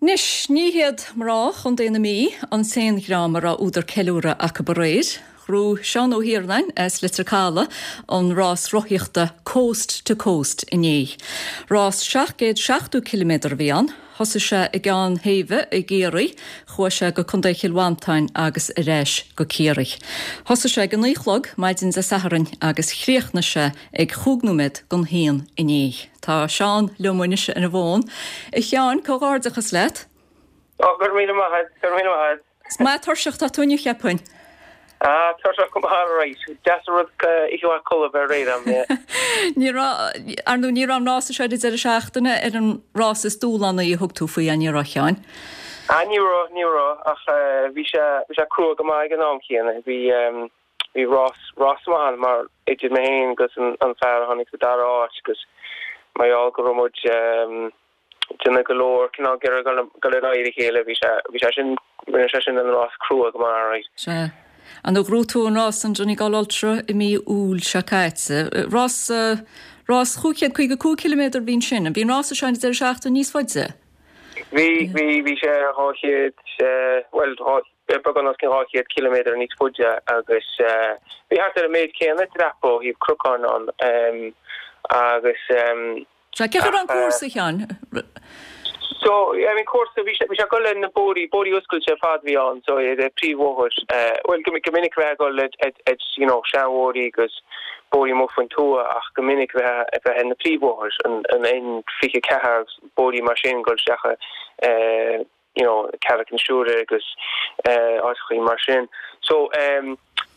Anois, ní hiad mná Chontae na Mí an t-aon dhream a raibh údar ceiliúradh acu aréir. Ghnóthaigh Seán Ó hIarnáin as Leitir Caladh an rás rothaíochta Coast to Coast inné. Rás 770 ciliméadar a bhí ann. Thosaigh sé i gCeann Thaobha i gCiarraí, chuaigh sé go Contae Chill Mhantáin agus ar ais go Ciarraí. Thosaigh sé ag a naoi a chlog maidin Dé Sathairn agus chríochnaigh sé ag chúig nóiméad don haon inné. Tá Seán liom anois ar an bhfón. A Sheáin, comhghairdeachas leat. Ó, go raibh míle maith agat, go raibh míle maith agat. Is maith tuirseach atá tú inniu, cheapfainn. Ah, tuirseach go maith, alright. Deas an rud oíche mhaith codladh a bheith réidh agam, yeah. Ní raibh, ar ndóigh, ní raibh an rása seo ar an deireadh seachtaine ar an rás is dúshlánaí a thug tú faoi, ní raibh, a Sheáin? Ah, ní raibh, ní raibh, ach bhí sé, bhí sé crua go maith ag an am chéanna. Bhí, bhí rás, rás maith ann mar idir mé féin agus an, an fear a tháinig sa dara háit agus mar gheall go raibh muid, déanamh go leor cineál ag iarraidh dul ar aghaidh a chéile. Bhí sé, bhí sé sin, rinne sé sin an rás crua go maith, alright. Sea. Ar ndóigh ghnóthaigh tú an rás an Donegal Ultra i mí Iúil seo caite. Rás, rás 555 ciliméadar a bhí ansin. Bhí an rása seo an deireadh seachtaine níos faide? Bhí, bhí, bhí sé 200, bhuel, beagán os cionn 200 ciliméadar níos faide agus bhí thart ar an méid céanna dreapadh ó thaobh cnocáin ann agus, Sea, cén chaoi a raibh an cúrsa, a Sheáin? So, I mean, cúrsa, bhí sé, bhí sé ag dul ar na bóithrí, bóithrí oscailte ar fad a bhí ann, so ar an príomhbhóthar, bhuel, go, go minic bheith ag dul ar, ar, ar, you know, seanbhóithrí agus bóithrí amuigh faoin tuath ach go minic bheith, bheith ar na príomhbhóthair, an, an N24 agus bóithrí mar sin, dul isteach i, you know, Carraig na Siúire agus áiteachaí mar sin. So,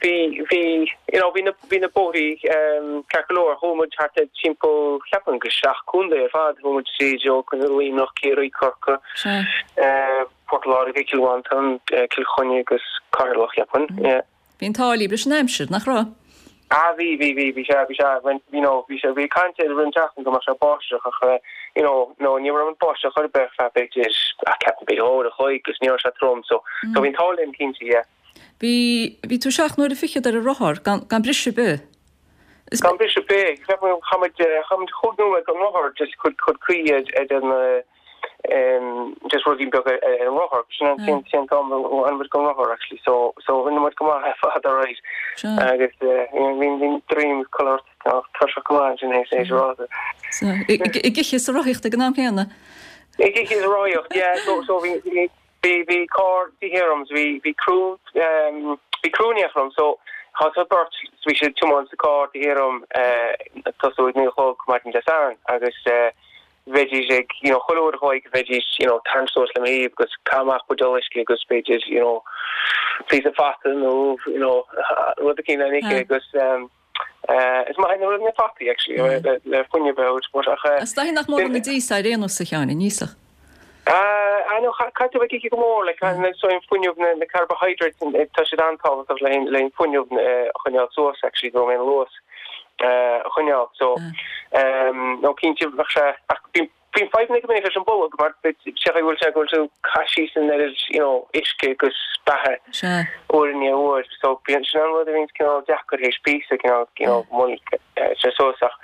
bhí, bhí, you know, bhí na, bhí na bóithrí ceart go leor. Chuaigh muid thart ar timpeall, cheapfainn go seacht contae ar fad. Chuaigh muid tríd ó Luimneach, Ciarraí, Corcaigh, Port Láirge, Cill Mhantáin, Cill Chainnigh agus Ceatharlach, cheapfainn, yeah. Bhí an t-ádh libh leis an aimsir, nach raibh? Ah bhí, bhí, bhí, bhí sé, bhí sé, you know, bhí sé, bhí caint air roimh an tseachtain go mbeadh sé báisteach ach eh, you know, no, ní raibh an báisteach ar bith ar feadh b'fhéidir, ah, ceapaim b'fhéidir uair a chloig agus ní raibh sé trom so, so bhí an t-ádh linn cinnte, yeah. Bhí, bhí tú seacht n-uaire fichead ar an rothar, gan, gan briseadh ar bith. Is. Gan briseadh ar bith, ceapaim chaith muid, chaith muid chúig nóiméad gan rothar just chun, chun caoi ar, ar an eh, just ruidín beag ar an rothar. Sin an sin sin t-am a bhfuil muid gan rothar actually so so rinne muid go maith ar fad alright. Agus bhí bhí droim color tuirseach go maith ansin théis théis rása. Ag ithe is ag rothaíocht ag an am céanna? Ag ithe is ag rothaíocht yeah so so bhí bhí bhí bhí carr de dhíth orm bhí bhí criú bhí criú in éineacht liom so thosaigh beirt bhí siad ag tiomáint sa carr taobh thiar dom ag tosú ag 9 a chlog maidin Dé Sathairn agus bheidís ag, you know, chuile uair a chloig bheidís, you know, tarraingt suas le mo thaobh agus caith amach buidéal uisce agus b'fhéidir, you know, píosa fata nó, you know, rud eicínt le n-ithe agus um, uh, is maith na rud na fataí actually mm. le, le fuinneamh a thabhairt but ach uh, Is dóichí nach mór an dí sa aon nós a Sheáin, an íosfadh. Uh, I know, caithfidh tú bheith ag ithe go mór, like, mm. so an fuinneamh na, na carbohydrates, tá siad an-tábhachtach le le fuinneamh uh, a choinneáil suas actually go mbeidh an luas. a choinneáil. So, nó cinnte bheadh sé, ach bíonn bíonn fadhbanna go minic leis an bolg mar sé go bhfuil sé go bhfuil tú ag caitheamh síos an oiread, you know, uisce agus beatha uair i ndiaidh uair. So bíonn sin an rud a bhíonn cineál deacair théis píosa cineál, you know, moill sé suas ach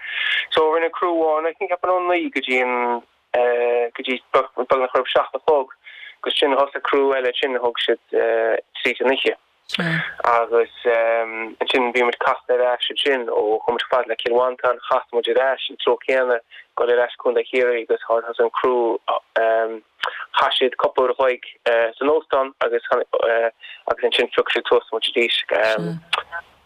so rinne criú amháin I think ceapaim ón 9 go dtí an go dtí beagnach roimh 7 a chlog agus sin thosaigh criú eile sin a thug siad tríd an oíche. Agus ansin bhí muid casta ar ais ansin ó chuaigh muid chomh fada le Cill Mhantáin, chas muid ar ais an treo céanna, dul ar ais Contae Chiarraí agus thosaigh an criú, chaith siad cúpla uair a chloig san óstán agus agus ansin phioc siad suas muid arís.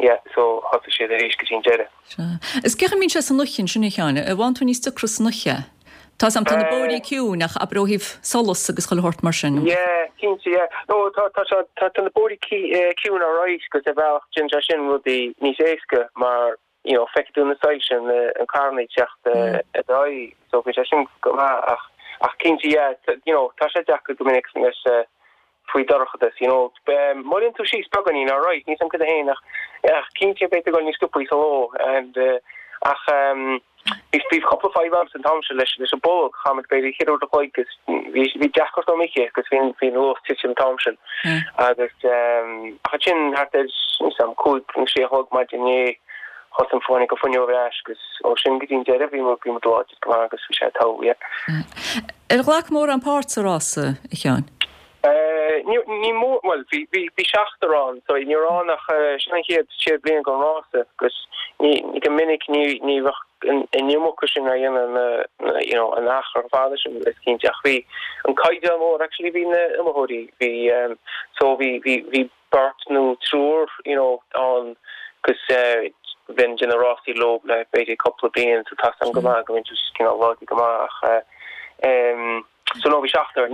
Yeah, so thosaigh siad arís go dtí an deireadh. Sea. Is cén chaoi a mbíonn sé san oíche ansin, a Sheáin? An bhfaigheann tú níos deacra san oíche? Tá 's a'm, tá na bóithrí ciúin ach abair ó thaobh solas agus chuile shórt mar sin. Yeah, cinnte, yeah. No, tá, tá sé, tá, tá na bóithrí ciúin alright agus ar bhealach déanann sé sin rudaí níos éasca mar, you know, feicfidh tú na soilse, na, an carranna ag teacht ar d'aghaidh so bíonn sé sin go maith ach, ach cinnte, yeah, you know, tá sé deacair go minic leis, faoi dorchadas, you know. Moillíonn tú síos beagáinín, alright, níl 's a'm cad é féin ach, ach cinnte beidh tú ag dul níos sciobthaí sa ló and ach bhí, bhí cúpla fadhb a'msa an t-am sin leis, leis an bolg, chaith muid b'fhéidir cheithre uair a chloig agus bhí, bhí deacracht dom ithe agus bhí, bhí an luas titim an t-am sin agus ach ansin thart ar, níl 's a'm, cúig nó sé a chlog maidin inné thosaigh an tháinig an fuinneamh ar ais agus ó sin go dtí an deireadh bhí muid, bhí muid láidir go maith agus bhí sé togha, yeah. Ar ghlac mórán páirt sa rása, a Sheáin? Ní mór, bhuel, bhí, bhí, bhí seachtar ann, so ní raibh ann ach, sin an chéad, chéad bhliain den rása agus ní, go minic ní, ní bheadh an, an iomarca sin á dhéanamh na, na, you know, an achar fada sin is cinnte ach bhí an caighdeán mór actually bhí na iomaitheoirí, bhí, so bhí, bhí, bhí beirt nó triúr, you know, ann agus bheinn ag déanamh rásaí leo le b'fhéidir cúpla bliain so tá a fhios agam go maith go mbíonn siad cineál láidir go maith ach eh so no bhí seachtar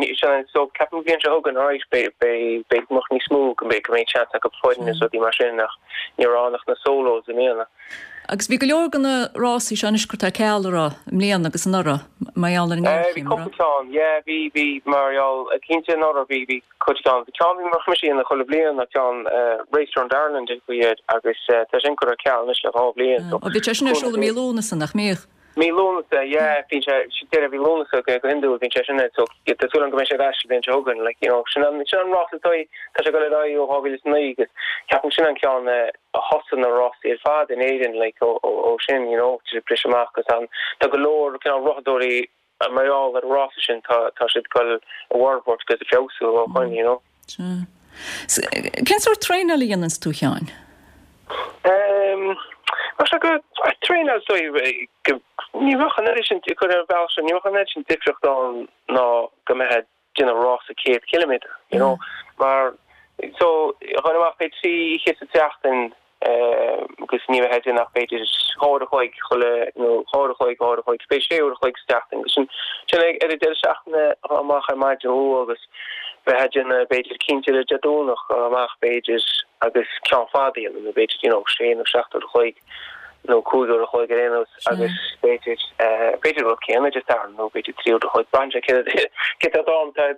so ceapaim an bhliain seo chugainn alright beidh beidh beidh mbeadh níos mó go mbeidh go mbeidh seans acu foireann is rudaí mar sin ach ní raibh ann ach na solos i mbliana. Agus bhí go leor de na rásaí seo anois curtha ar ceal a raibh i mbliana agus anuraidh mar gheall ar an ngéarchéim. Bhí cúpla ceann yeah bhí bhí mar gheall cinnte anuraidh bhí bhí cuid ceann. Bhí ceann a bhí mise a dhéanamh chuile bhliain ná ceann Race Around Ireland a bhí air agus tá sin curtha ar ceal anois le dhá bhliain so. Bhí sé sin ar siúl i mí Lúnasa nach mbíodh? Mí Lúnasa yeah bíonn sé deireadh mhí Lúnasa go hiondúil bíonn sé sin ar so tá súil agam go mbeidh sé ar ais an bhliain seo chugainn like you know sin an sin an rás atá tá sé ag dul ar aghaidh ó 2009 agus ceapaim sin an ceann a thosaigh na rásaí ar fad in Éirinn like ó ó sin you know bris amach agus an tá go leor cineál rothadóirí Mar gheall ar an rása sin tá tá siad ag dul a bhforbairt agus ag feabhsú ó shoin, you know. Sea. Cén sórt traenáil a dhéananns tú, a Sheáin? Ehm, mar seo go, traenáil so go, ní bheadh an oiread sin, ag cur ar an bhealach seo, ní bheadh an oiread sin difríocht ann ná go mbeifeá ag déanamh rása 100 ciliméadar, you know, mar so ghabhfainn amach b'fhéidir trí oíche sa tseachtain agus ní bheifeá ag déanamh ach b'fhéidir dhá uair a chloig chuile nó dhá uair a chloig, dhá uair a chloig, b'fhéidir sé uair a chloig sa tseachtain agus sin sin ag ar an deireadh seachtaine dhul amach ar maidin luath agus bheith ag déanamh b'fhéidir cinnte ar Dé Domhnach dhul amach b'fhéidir agus ceann fada a dhéanamh nó b'fhéidir you know sé nó seacht uair a chloig nó cúig uair a chloig ar aon nós agus b'fhéidir b'fhéidir an rud céanna Dé Sathairn nó b'fhéidir trí uair a chloig braitheann sé cé cé tá am tá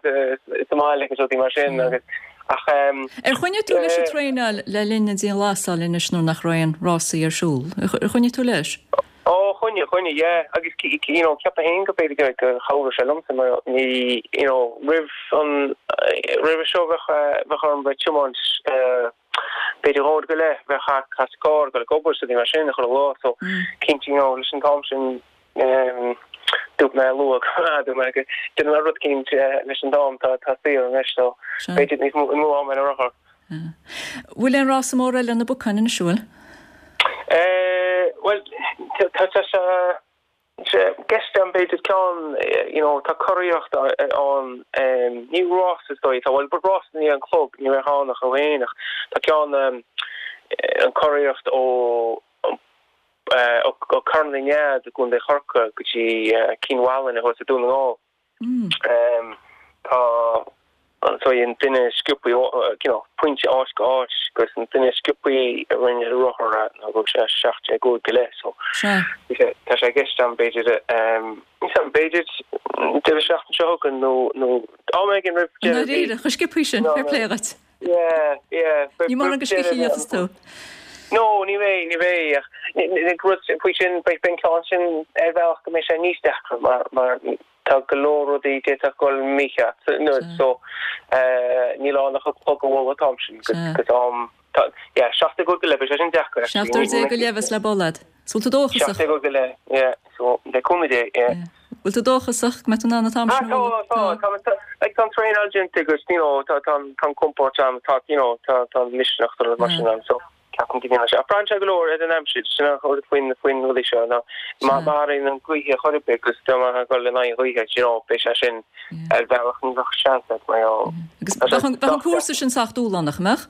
sa mbaile agus rudaí mar sin agus ach Ar choinnigh tú leis an traenáil le linn na dianghlasála anois nuair nach raibh aon rásaí ar siúl? Ar choinnigh tú leis? Ó, choinnigh, choinnigh, yeah. Agus, you know, ceapaim féin go b'fhéidir go, gur chabhraigh sé liomsa mar ní, you know, roimh an, roimhe seo bheadh, bheadh orm bheith tiomáint, b'fhéidir dhá uair go leith bheith thart sa gcarr ag dul ag obair is rudaí mar sin chuile lá so cinnte you know leis an t-am sin dúirt mé luath dúirt mé go déanfaidh mé rud eicínt leis an t-am tá tá saor anois so b'fhéidir níos mó mó am ar an rothar. Bhfuil aon rása mór eile ar na bacáin anois an bhfuil? Bhuel tá tá sé Sé i gceist agam b'fhéidir ceann you know tá curaíocht ann ní rás is dóigh atá bhuel but rás ní an chlog ní bheadh ann ach ó fhéin ach tá ceann an curaíocht ó ó Carn na Nead i gContae Chorcaí go dtí Cionn Mhálanna thuas i Dún na nGall. Tá so an duine is sciobthaí you know pointe áit go áit agus an duine is sciobthaí a rinne ar rothar é ná go raibh sé 17 uair go leith so bhí sé tá sé i gceist agam b'fhéidir níl 'am b'fhéidir deireadh seachtaine seo chugainn nó nó am éigin roimh deireadh mhí Dáiríre, chomh sciobthaí sin, fair play dhuit. Yeah, yeah. Ní mórán go sciobthaí a bheas tú. No, ní bheidh, ní bheidh ach rud faoi sin, beidh an ceann sin ar bhealach go mbeidh sé níos deacra mar mar tá go leor rudaí d'fhéadfadh dul mícheart nó so níl ann ach an clog a bhualadh an t-am sin agus am tá yeah 17 uair go leith beidh sé sin deacair actually. 17 uair go leith bheas le bualadh. So bhfuil tú dóchasach? 17 uair go leith yeah so le cúnamh Dé yeah. Bhfuil tú dóchasach go mbeidh tú in ann an t-am sin a bhualadh? Tá, tá, tá, like tá an traenáil déanta agus you know tá tá tá an compord ann, tá you know tá tá an misneach tá rud mar sin ann so ceapaim go ndéanfaidh sé. Ach braitheann sé go leor ar an aimsir, sin an rud faoin faoin rudaí seo ná má má athraíonn an gaoth ar chor ar bith agus dá mbeifeá ag dul in aghaidh an ghaoithe you know beidh sé sin ar bhealach ní bheadh seans agat mar gheall. Agus bheadh an bheadh an cúrsa sin sách dúshlánach, an mbeadh?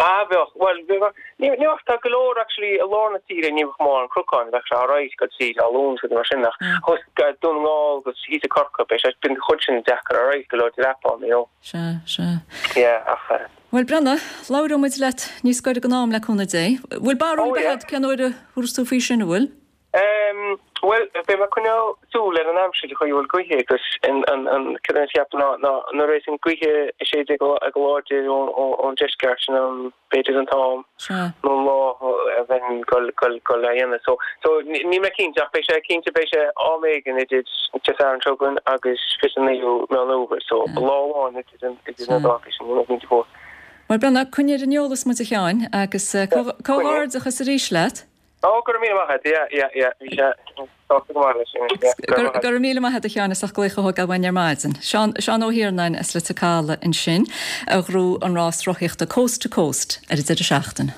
Ah, bheadh. Bhuel, bheadh. Ní bheadh. Tá go leor actually i lár na tíre ní bheadh mórán cnocáin, bheadh sé alright dul tríd Alún is rudaí mar sin ach thuas go Dún na nGall agus thíos i Corcaigh beidh sé, bíonn an chuid sin deacair alright, go leor dreapanna, you know. Sea, sea. Yeah, ach eh. Bhuel, Breandán, labhróidh muid leat níos gaire don am le cúnamh Dé. Bhfuil barúil Oh ar bith yeah. agat cén uair a thabharfas tú faoi sin, an bhfuil? Em, bhuel, beidh mé ag coinneáil súil ar an aimsir, an chaoi a bhfuil gaoithe agus an, an, an, cad é a cheapaim ná, ná nuair a bheas an gaoithe ag séideadh go, go láidir ón, ón deisceart, sin an, b'fhéidir an t-am Sea. nó an lá a bheinn gul, gul, gul á dhéanamh. So, so níl mé cinnte ach beidh sé, cinnte beidh sé am éigin idir Dé Sathairn seo chugainn agus 29ú Meán Fhómhair. So, lá amháin idir an, idir na Sea. dátaí sin, níl mé cinnte fós. Bhuel, Breandán, coinnigh ar an eolas muid a Sheáin agus eh, Sea, comhghairdeachas arís leat. Ó, go raibh míle maith agat, yeah, yeah, yeah, bhí sé sásta go maith leis sin, yeah, go raibh maith agat. Go raibh míle maith agat a Sheáin as ucht glaoch a thógáil uainn ar maidin. Seán, Seán Ó hIarnáin as Leitir Caladh ansin a ghnóthaigh an rás rothaíochta Coast to Coast ar an deireadh seachtaine.